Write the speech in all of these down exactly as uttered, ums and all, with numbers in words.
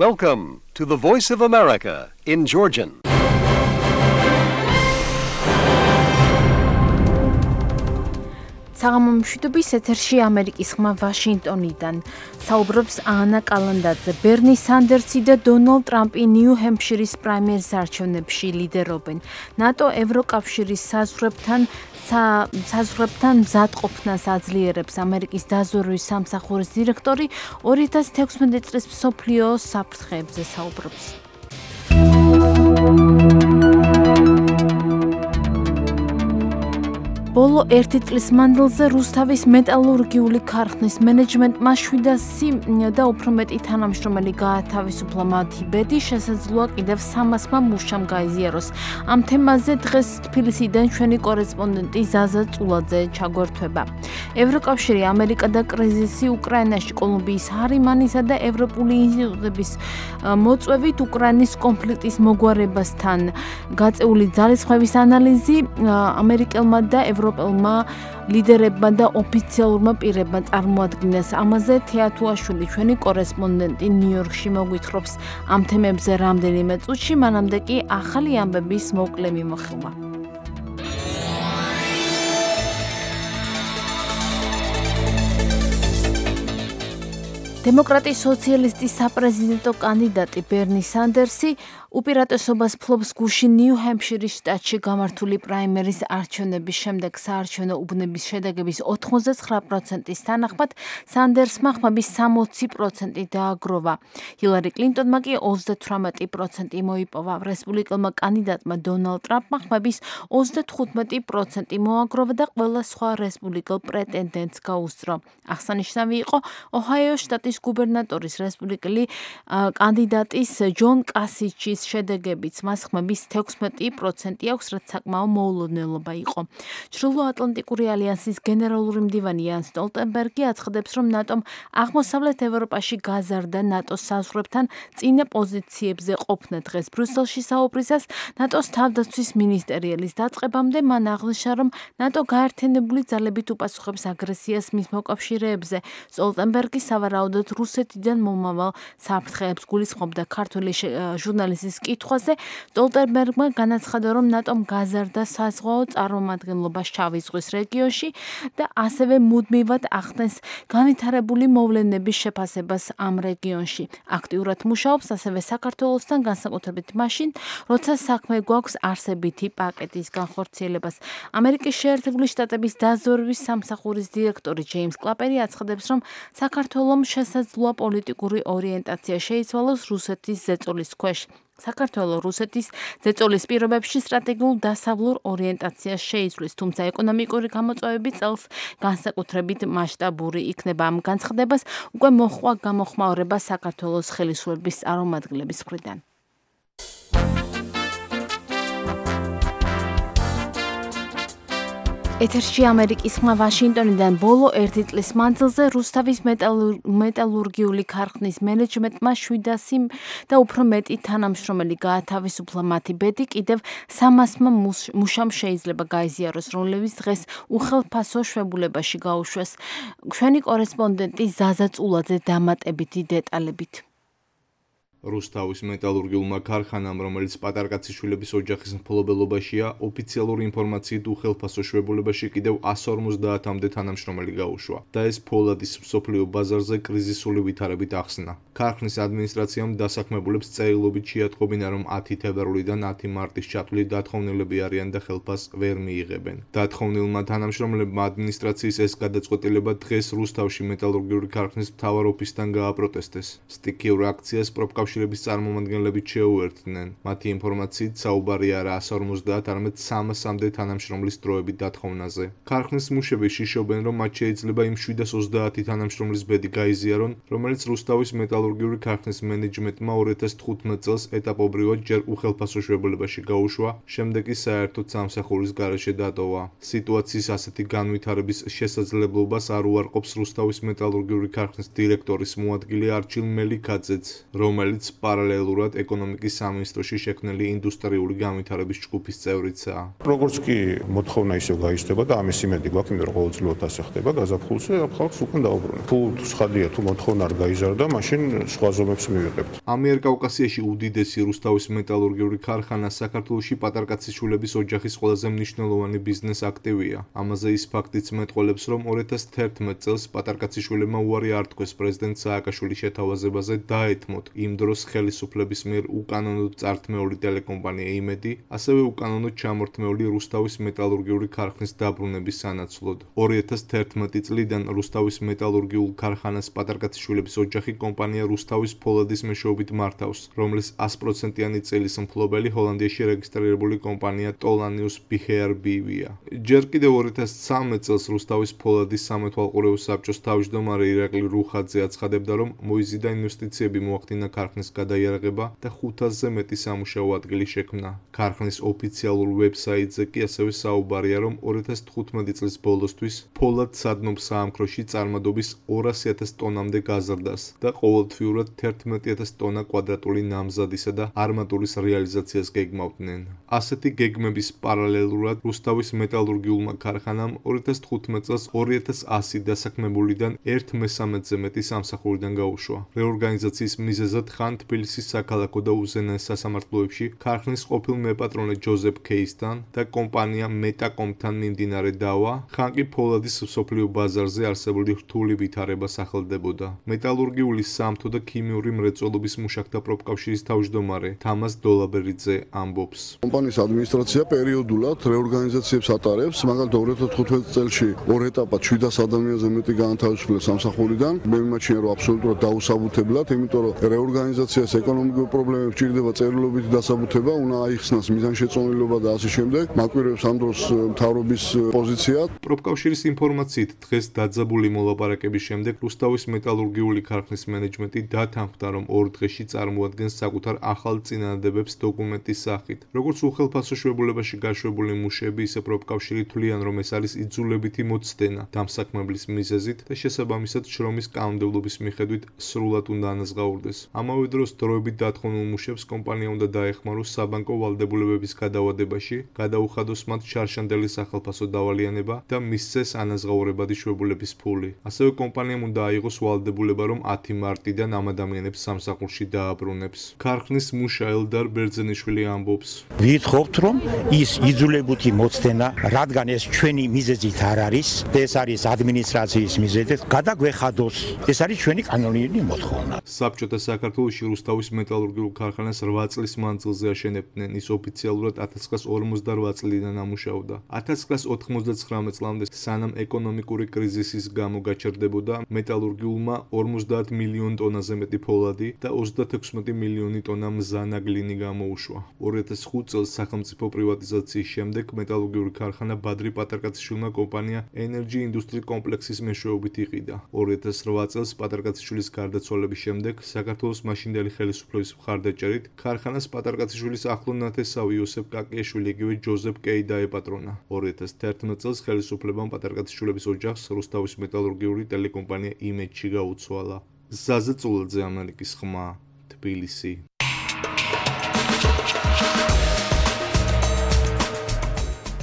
Welcome to the Voice of America in Georgian. საღამომშვიდობის ეთერში ამერიკის ხმა ვაშინგტონიდან საუბრობს ანა კალანდაძე. ბერნი სანდერსი და დონალდ ტრამპი ნიუ-ჰემფშირის პრაიმერის არჩევნებში ლიდერობენ. ნატო ევროკავშირის საზღვრებთან საზღვრებთან მზადყოფნას აძლიერებს ამერიკის დაზვერვის სამსახურის დირექტორი ორი ათას თექვსმეტი წლის მსოფლიო საფრთხეებზე საუბრობს. ბოლო ერთი წლის მანძილზე რუსთავის მეტალურგიული ქარხნის მენეჯმენტმა შვიდასი და უფრო მეტი თანამშრომელი გაათავისუფლა. მათი ბედი შესაძლოა კიდევ სამასმა მუშამ გაიზიაროს. ამ თემაზე დღეს თბილისიდან ჩვენი კორესპონდენტი ზაზა წულაძე ჩაგვერთვება. ევროკავშირი, ამერიკა და კრიზისი უკრაინაში, კოლუმბიის ჰარიმანისა და ევროპული ინსტიტუტების მოწვევით უკრაინის კონფლიქტის მოგვარებასთან გაწეული ძალისხმევის ანალიზი ამერიკელმა და ევროპელმა ლიდერებმა და ოფიციალურმა პირებმა წარმოადგინეს. ამაზე თეათუაშვილი, ჩვენი კორესპონდენტი ნიუ-იორკში მოგვითხრობს ამ თემებზე რამდენიმე წუთში, მანამდე კი ახალი ამბების მოკლე მიმოხილვა. დემოკრატიის სოციალისტის საპრეზიდენტო კანდიდატი ბერნი სანდერსი უპირატესობას ფლობს გუშინ ნიუ-ჰემფშირის შტატში გამართული პრაიმერის არჩევნების შემდეგ. საარჩევნო უბნების შედეგების ოთხმოცდათსამი პროცენტის თანახმად სანდერსმა ხმების სამოცი პროცენტი დააგროვა. ჰილარი კლინტონმა კი ოცდათვრამეტი პროცენტი მოიპოვა. რესპუბლიკელმა კანდიდატმა დონალდ ტრამპმა ხმების ოცდათხუთმეტი პროცენტი მოაგროვა და ყველა სხვა რესპუბლიკელ პრეტენდენტს გაუსწრო. აღსანიშნავი იყო ოჰაიოს შტატის გუბერნატორის რესპუბლიკელი კანდიდატის ჯონ კასიჩის შედეგებიც. მას ხმების თექვსმეტი პროცენტი აქვს, რაც საკმაო მოულოდნელობა იყო. ჩრდილოატლანტიკური ალიანსის გენერალური მდივანი იან სტოლტენბერგი აცხადებს, რომ ნატომ აღმოსავლეთ ევროპაში გაზარდა ნატოს საზღვრებთან წინა პოზიციებზე ყოფნა. დღეს ბრიუსელში საუბრისას ნატოს თავდაცვის მინისტერიალის დაწყებამდე მან აღნიშნა, რომ ნატო გაერთიანებული ძალებით უპასუხებს აგრესიას მის მოკავშირეებზე. სტოლტენბერგი სავარაუდოდ რუსეთიდან მომავალ საფრთხეებს გულისხმობდა. ქართული ჟურნალისტის კითხვაზე სტოლტენბერგმა განაცხადა, რომ ნატომ გაზარდა საზღვაო წარმომადგენლობა შავი ზღვის რეგიონში და ასევე მუდმივად ახდენს განვითარებული მოვლენების შეფასებას ამ რეგიონში. აქტიურად მუშაობს ასევე საქართველოსთან, განსაკუთრებით მაშინ, როცა საქმე გვაქვს არსებითი პაკეტის განხორციელებას. ამერიკის შეერთებული შტატების დაზვერვის სამსახურის დირექტორი ჯეიმს კლაპერი აცხადებს, რომ საქართველომ შესაძლოა პოლიტიკური ორიენტაცია შეიცვალოს რუსეთის ზეწოლის ქვეშ. საქართველო რუსეთის ზეწოლის პირობებში სტრატეგიულ დასავლურ ორიენტაციას შეიცვლის, თუმცა ეკონომიკური გამოწვევები წელს განსაკუთრებით მასშტაბური იქნება. ამ განცხადებას უკვე მოჰყვა გამოხმაურება საქართველოს ხელისუფლების წარმომადგენლების მხრიდან. ეთერში ამერიკის ხმა ვაშინგტონიდან. ბოლო ერთი წლის მანძილზე რუსთავის მეტალურგიული ქარხნის მენეჯმენტმა შვიდასი და უფრო მეტი თანამშრომელი გაათავისუფლა. მათი ბედი კიდევ სამასმა მუშამ შეიძლება გაიზიაროს, რომლებიც დღეს უხელფასო შვებულებაში გაუშვეს. ჩვენი კორესპონდენტი ზაზა წულაძე დამატებითი დეტალებით. რუსთავის მეტალურგიულმა ქარხანამ, რომელიც პატარკაციშვილების ოჯახის მფლობელობაშია, ოფიციალური ინფორმაციით უხელფასო შვებულებაში კიდევ εκατს ორმოცდაათამდე თანამშრომელი გაუშვა და ეს ფოლადის მსოფლიო ბაზარზე კრიზისული ვითარებით ახსნა. ქარხნის ადმინისტრაციამ დასაქმებულებს წერილობით შეატყობინა, რომ ათი თებერვლიდან ათი მარტის ჩათვლით დათხოვნილები არიან და ხელფასს ვერ მიიღებენ. დათხოვნილმა თანამშრომლებმა ადმინისტრაციის ეს გადაწყვეტილება დღეს რუსთავში მეტალურგიული ქარხნის მთავარ ოფისთან გააპროტესტეს. სტიქიურ აქციას პროფკავშირების წარმომადგენლებით შეუერთდნენ. მათი ინფორმაციით საუბარია არა εκατს ორმოცდაათ, არამედ სამასამდე თანამშრომლის დროებით დათხოვნაზე. ქარხნის მუშები შიშობენ, რომ მათ შეიძლება იმ შვიდას ოცდაათი თანამშრომლის ბედი გაიზიარონ, რომელიც რუსთავის მეტალურგიული ქარხნის მენეჯმენტმა ორი ათას თხუთმეტ წელს ეტაპობრივად ჯერ უხელფასო შვებულებაში გაუშვა, შემდეგ კი საერთოდ სამსახურის გარეშე დატოვა. სიტუაციის ასეთი განვითარების შესაძლებლობას არ უარყოფს რუსთავის მეტალურგიული ქარხნის დირექტორის მოადგილე არჩილ მელიქაძეც, რომელიც რომელიც პარალელურად ეკონომიკის სამინისტროში შექმნილი ინდუსტრიული განვითარების ჯგუფის წევრიცაა. როგორც კი მოთხოვნა ისევ გაიზრდება და ამის იმედი გვაქვს, იმიტომ რომ ყოველწლიურად ასე ხდება გაზაფხულზე, ხალხს უკან დაუბრუნებთ. თუ სხადია, თუ მოთხოვნა არ გაიზარდა, მაშინ სხვა ზომებს მივიღებთ. ამიერკავკასიაში უდიდესი რუსთავის მეტალურგიული ქარხანა საქართველოში პატარკაციშვილების ოჯახის ყველაზე მნიშვნელოვანი ბიზნეს აქტივია. ამაზე ის ფაქტიც მეტყველებს, რომ ორი ათას თერთმეტ წელს პატარკაციშვილებმა უარი არ თქვეს პრეზიდენტ სააკაშვილის შეთავაზებაზე დაეთმოთ იმ დროს ხელისუფლების მიერ უკანონოდ წართმეული ტელეკომპანია იმედი, ასევე უკანონოდ ჩამორთმეული რუსთავის მეტალურგიული ქარხნის დაბრუნების სანაცვლოდ. ორი ათას თერთმეტი წლიდან რუსთავის მეტალურგიულ ქარხანას პატარკაციშვილების ოჯახი კომპანია რუსთავის ფოლადის მეშვეობით მართავს, რომლის ას პროცენტიანი წელის მფლობელი ჰოლანდიაში რეგისტრირებული კომპანია ტოლანიუს ბიჰეარ ბივია. ჯერ კიდევ ორი ათას ცხრამეტ წელს რუსთავის ფოლადის სამეთვალყურეო საბჭოს თავმჯდომარე ირაკლი რუხაძე აცხადებდა, რომ მოიზიდა ინვესტიციები მოახდინა ქარხნის გადაიარაღება და ხუთასზე მეტი სამუშაო ადგილი შექმნა. ქარხნის ოფიციალურ ვებსაიტზე კი ასევე საუბარია, რომ ორი ათას თხუთმეტი წლის ბოლოსთვის ფოლად სადნობ საამქროში წარმადობის ორასი ათას ტონამდე გაზრდას და ყოველთვიურად თერთმეტი ათას ტონა კვადრატული ნამზადისა და არმატურის რეალიზაციას გეგმავდნენ. ასეთი გეგმების პარალელურად რუსთავის მეტალურგიულმა ქარხანამ ორი ათას თხუთმეტ წელს ორი ათას ასი დასაქმებულიდან ერთ მესამედზე მეტი სამსახურიდან გაუშვა. რეორგანიზაციის მიზეზად ხან თბილისის საქალაქო და უზენაეს სასამართლოებში ქარხნის ყოფილ მეპატრონე ჯოზეფ კეისთან და კომპანია მეტაკომთან მიმდინარე დავა, ხან კი ფოლადის მსოფლიო ბაზარზე არსებული რთული ვითარება სახელდებოდა. მეტალურგიული სამთო და ქიმიური მრეწველობის მუშაკთა პროფკავშირის თავმჯდომარე თამას დოლაბერიძე ამბობს. კომპანიის ადმინისტრაცია პერიოდულად რეორგანიზაციებს ატარებს, მაგალითად ორი ათას თხუთმეტ წელში ორ ეტაპად შვიდას ადამიანზე მეტი გაანთავისუფლეს სამსახურიდან. მე მიმაჩნია, რომ აბსოლუტურად დაუსაბუთებლად, იმიტომ რომ რეორგანიზაციას ეკონომიკური პრობლემები ჭირდება წერილობითი დასაბუთება, უნდა აიხსნას მიზანშეწონილობა და ასე შემდეგ. მაკვირვებს ამ დროს მთავრობის პოზიცია. პროფკავშირის ინფორმაციით, დღეს დაძაბული მოლაპარაკების შემდეგ რუსთავის მეტალურგიული ქარხნის მენეჯმენტი დათანხმდა, რომ ორ დღეში წარმოადგენს საკუთარ ახალ წინადადებებს დოკუმენტის სახით. როგორც უხელფასო შვებულებაში გაშვებული მუშები, ისე პროფკავშირი თვლიან, რომ ეს არის იძულებითი მოცდენა დამსაქმებლის მიზეზით და შესაბამისად შრომის კანონმდებლობის მიხედვით სრულად უნდა ანაზღაურდეს. ამავე დროს დროებით დათხოვნილ მუშებს კომპანია უნდა დაეხმაროს საბანკო ვალდებულებების გადავადებაში, გადაუხადოს მათ შარშანდელი სახელფასო დავალიანება და მისცეს ანაზღაურებადი შვებულების ფული. ასევე კომპანიამ უნდა აიღოს ვალდებულება, რომ ათი მარტიდან ამ ადამიანებს სამსახურში დააბრუნებს. ქარხნის მუშა ელდარ ბერძენიშვილი ამბობს. ვითხოვთ, რომ ის იძულებითი მოცდენა, რადგან ეს ჩვენი მიზეზით არ არის, ეს არის ადმინისტრაციის მიზეზით, გადაგვეხადოს. ეს არის ჩვენი კანონიერი მოთხოვნა. საბჭოთა საქართველოში რუსთავის მეტალურგიულ ქარხანას რვა წლის მანძილზე აშენებდნენ. ის ოფიციალურად ათას ცხრაას ორმოცდარვა წლიდან ამუშავდა. ათას ცხრაას ოთხმოცდაცხრამეტ წლამდე, სანამ ეკონომიკური კრიზისის გამო გაჩერდებოდა, მეტალურგიულმა ორმოცდაათ მილიონ ტონაზე მეტი ფოლადი და ოცდათექვსმეტი მილიონი ტონა მზანაგლინი გამოუშვა. ორი ათას ხუთ წელს სახელმწიფო პრივატიზაციის შემდეგ მეტალურგიული ქარხანა ბადრი პატარკაციშვილმა კომპანია Energy Industry კომპლექსის მეშვეობით იყიდა. ორი ათას რვა წელს პატარკაციშვილის გარდაცვალების შემდეგ საქართველოს მაშინდელი ხელისუფლების მხარდაჭერით ქარხანას პატარკაციშვილის ახლო ნათესავი იოსებ კაკიაშვილი იგივე ჯოზეფ კეი დაეპატრონა. ორი ათას თერთმეტ წელს ხელისუფლებამ პატარკაციშვილების ოჯახს რუსთავის მეტალურგიული ტელეკომპანია იმედში გაუცვალა. ზაზე წულაძე, ამერიკის ხმა, თბილისი.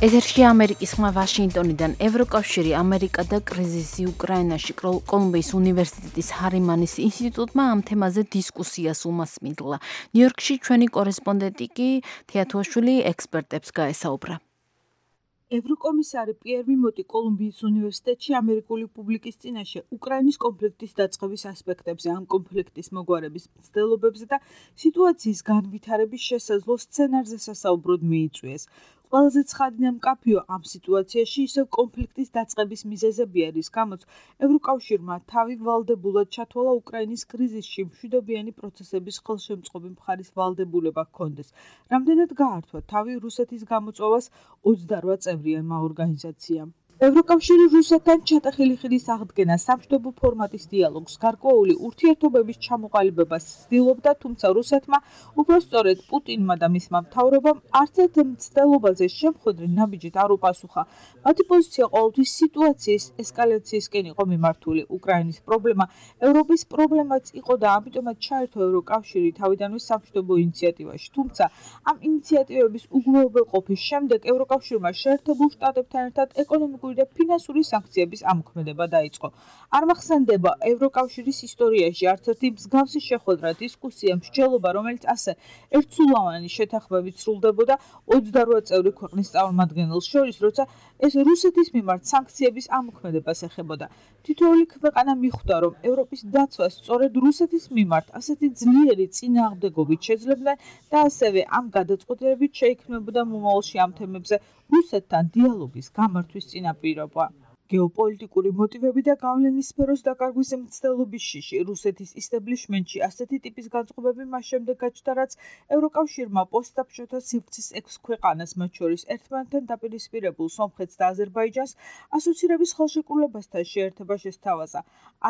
ეთერში ამერიკის ხმა ვაშინგტონიდან. ევროკავშირი, ამერიკა და კრიზისი უკრაინაში კოლუმბიის უნივერსიტეტის ჰარიმანის ინსტიტუტმა ამ თემაზე დისკუსიას უმასპინძლა. ნიუ-იორკში ჩვენი კორესპონდენტი კი თეათუაშვილი ექსპერტებს გაესაუბრა. ევროკომისარი პიერ ვიმოტი კოლუმბიის უნივერსიტეტში ამერიკული პუბლიკის წინაშე უკრაინის კონფლიქტის დაწყების ასპექტებზე, ამ კონფლიქტის მოგვარების მცდელობებზე და სიტუაციის განვითარების შესაძლო სცენარზე სასაუბროდ მიიწვიეს. ყველაზე ცხადი და მკაფიო ამ სიტუაციაში ისევ კონფლიქტის დაწყების მიზეზები არის, გამოც ევროკავშირმა თავი ვალდებულად ჩათვალა უკრაინის კრიზისში მშვიდობიანი პროცესების ხელშემწყობი მხარის ვალდებულება ჰქონდეს. რამდენად გაართვა თავი რუსეთის გამოწვევას ოცდარვა წევრიანმა ორგანიზაციამ. ევროკავშირი რუსეთთან ჩატეხილი ხიდის აღდგენა სამშვიდობო ფორმატის დიალოგს გარკვეული ურთიერთობების ჩამოყალიბებას ცდილობდა, თუმცა რუსეთმა უფრო სწორედ პუტინმა და მისმა მთავრობამ არც ერთ მცდელობაზე შემხვედრი ნაბიჯით არ უპასუხა. მათი პოზიცია ყოველთვის სიტუაციის ესკალაციისკენ იყო მიმართული. უკრაინის პრობლემა ევროპის პრობლემაც იყო და ამიტომაც ჩაერთო ევროკავშირი თავიდანვე სამშვიდობო ინიციატივაში. თუმცა ამ ინიციატივების უგულებელყოფის შემდეგ ევროკავშირმა შეერთებულ შტატებთან ერთად ეკონომიკური და ფინანსური სანქციების ამოქმედება დაიწყო. არ მახსენდება ევროკავშირის ისტორიაში არც ერთი მსგავსი შეხვედრა, დისკუსია, მსჯელობა, რომელიც ასე ერთსულოვანი შეთანხმებით სრულდებოდა ოცდარვა წევრი ქვეყნის წარმომადგენელს შორის, როცა ეს რუსეთის მიმართ სანქციების ამოქმედებას ეხებოდა. თითოეული ქვეყანა მიხვდა, რომ ევროპის დაცვას სწორედ რუსეთის მიმართ ასეთი ძლიერი წინააღმდეგობით შეძლებდნენ და ასევე ამ გადაწყვეტილებით შეიქმნებოდა მომავალში ამ თემებზე რუსეთთან დიალოგის გამართვის წინაპირობა. გეოპოლიტიკური მოტივები და გავლენის სფეროს დაკარგვის მცდელობის შიში რუსეთის ისტაბლიშმენტში ასეთი ტიპის განწყობები მას შემდეგ გაჩნდა, რაც ევროკავშირმა პოსტსაბჭოთა სივრცის ექვს ქვეყანას, მათ შორის ერთმანეთთან დაპირისპირებულ სომხეთს და აზერბაიჯანს ასოცირების ხელშეკრულებასთან შეერთება შესთავაზა.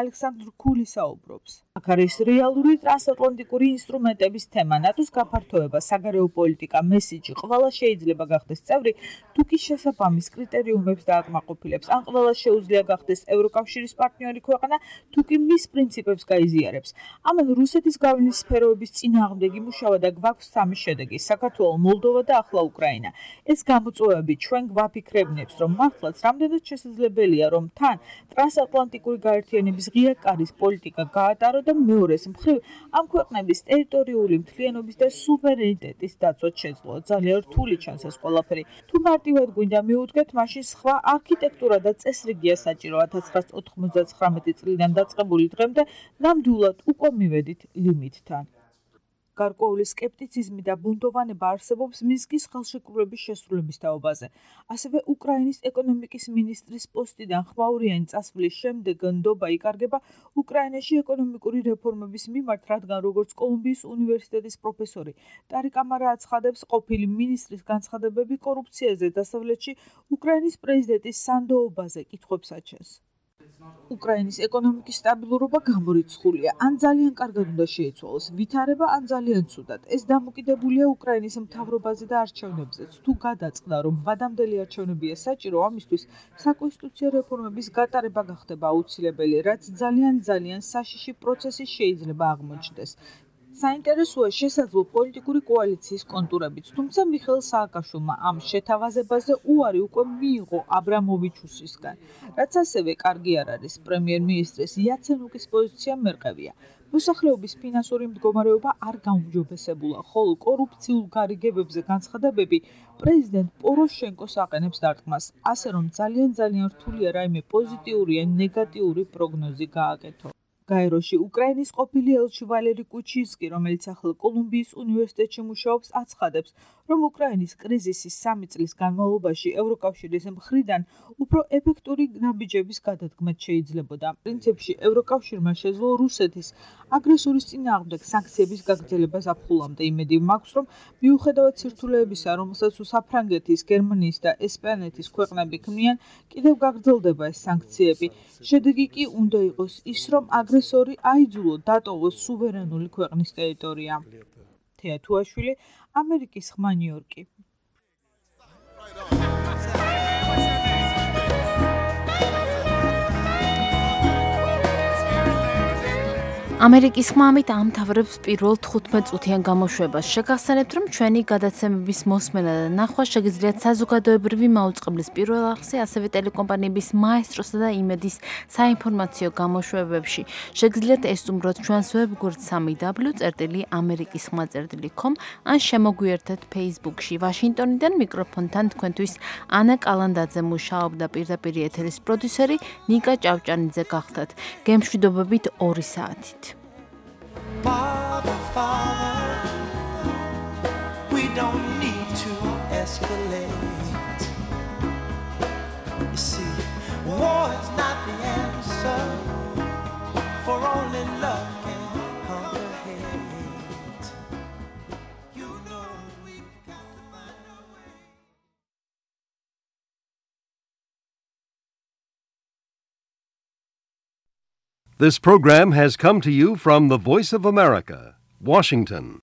ალექსანდრ ქული საუბრობს. აქ არის რეალური ტრანსატლანტიკური ინსტრუმენტების თემა, ნატოს გაფართოება, საგარეო პოლიტიკა, მესიჯი, ყველა შეიძლება გახდეს წევრი, თუ კი შესაბამის კრიტერიუმებს დააკმაყოფილებს, ან ყველა შეუძლია გახდეს ევროკავშირის პარტნიორი ქვეყანა, თუ კი მის პრინციპებს გაიზიარებს. ამან რუსეთის გავლენის სფეროების წინააღმდეგ იმუშავა და გვაქვს სამი შედეგი: საქართველო, მოლდოვა და ახლა უკრაინა. ეს გამოწვევები ჩვენ გვაფიქრებინებს, რომ მართლაც რამდენად შესაძლებელია, რომ თან ტრანსატლანტიკური გაერთიანების ღია კარის პოლიტიკა გაატარო და მეორეს მხრივ ამ ქვეყნების ტერიტორიული მთლიანობის და სუვერენიტეტის დაცვაც შეძლო. ძალიან რთული ჩანს ეს ყველაფერი. თუ მარტივად გვინდა მივუდგეთ, მაშინ სხვა არქიტექტურა და წესრიგია საჭირო. ათას ცხრაასი ოთხმოცდაცხრამეტი წლიდან დაწყებული დღემდე ნამდვილად უკვე მივედით ლიმიტთან. გარკვეული სკეპტიციზმი და ბუნდოვანება არსებობს მინსკის ხელშეკრულების შესრულების თაობაზე. ასევე უკრაინის ეკონომიკის მინისტრის პოსტიდან ხმაურიანი წასვლის შემდეგ ნდობა იკარგება უკრაინაში ეკონომიკური რეფორმების მიმართ, რადგან როგორც კოლუმბიის უნივერსიტეტის პროფესორი ტარიკ ამარა აცხადებს, ყოფილი მინისტრის განცხადებები კორუფციაზე დასავლეთში უკრაინის პრეზიდენტის სანდოობაზე კითხვებს აჩენს. უკრაინის ეკონომიკის სტაბილურობა გამორიცხულია, ან ძალიან კარგად უნდა შეიცვალოს ვითარება, ან ძალიან ცუდად. ეს დამოკიდებულია უკრაინის მთავრობაზე და არჩევნებზეც. თუ გადაწყდა, რომ ვადამდელი არჩევნებია საჭირო, ამისთვის საკონსტიტუციო რეფორმების გატარება გახდება აუცილებელი, რაც ძალიან ძალიან საშიში პროცესი შეიძლება აღმოჩნდეს. საინტერესოა შესაძლო პოლიტიკური კოალიციის კონტურებიც, თუმცა მიხეილ სააკაშვილმა ამ შეთავაზებაზე უარი უკვე მიიღო აბრამოვიჩუსისგან, რაც ასევე კარგი არ არის. პრემიერ-მინისტრის იაცენუკის პოზიცია მერყევია. მოსახლეობის ფინანსური მდგომარეობა არ გაუმჯობესებულა, ხოლო კორუფციულ გარიგებებზე განცხადებები პრეზიდენტ პოროშენკოს აყენებს დარტყმას, ასე რომ ძალიან ძალიან რთულია რაიმე პოზიტიური ან ნეგატიური პროგნოზი გააკეთო. გაეროში უკრაინის ყოფილი ელჩი ვალერი კუჩინსკი, რომელიც ახლა კოლუმბიის უნივერსიტეტში მუშაობს, აცხადებს, რომ უკრაინის კრიზისის სამი წლის განმავლობაში ევროკავშირის მხრიდან უფრო ეფექტური ნაბიჯების გადადგმაც შეიძლებოდა. პრინციპში ევროკავშირმა შეძლო რუსეთის აგრესორის წინააღმდეგ სანქციების გაგრძელებას აფხულამდე. იმედი მაქვს, რომ მიუხედავად სირთულეებისა, რომელსაც საფრანგეთის, გერმანიის და ესპანეთის ქვეყნები ქმნიან, კიდევ გაგრძელდება ეს სანქციები. შედეგი კი უნდა იყოს ის, რომ აგრესორი აიძულო დატოვოს სუვერენული ქვეყნის ტერიტორია. თეა თუაშვილი, ამერიკის ხმა, ნიუ-იორკი. ამერიკის ხმა ამით ამთავრებს პირველ თხუთმეტ წუთიან გამოშვებას. შეგახსენებთ, რომ ჩვენი გადაცემების მოსმენა და ნახვა შეგიძლიათ საზოგადოებრივი მაუწყებლის პირველ არხზე, ასევე ტელეკომპანიების მაესტროსა და იმედის საინფორმაციო გამოშვებებში. შეგიძლიათ ესტუმროთ ჩვენს ვებგვერდს სამი დაბლიუ წერტილი ამერიკის ხმა წერტილი com ან შემოგვიერთეთ Facebook-ში. ვაშინგტონიდან მიკროფონთან თქვენთვის ანა კალანდაძე მუშაობდა, პირდაპირ ეთერის პროდიუსერი ნიკა ჭავჭანიძე გახდათ. გემშვიდობებით ორი საათით. Father, Father, we don't need to escalate. You see, war is not the answer, for only love This program has come to you from the Voice of America, Washington.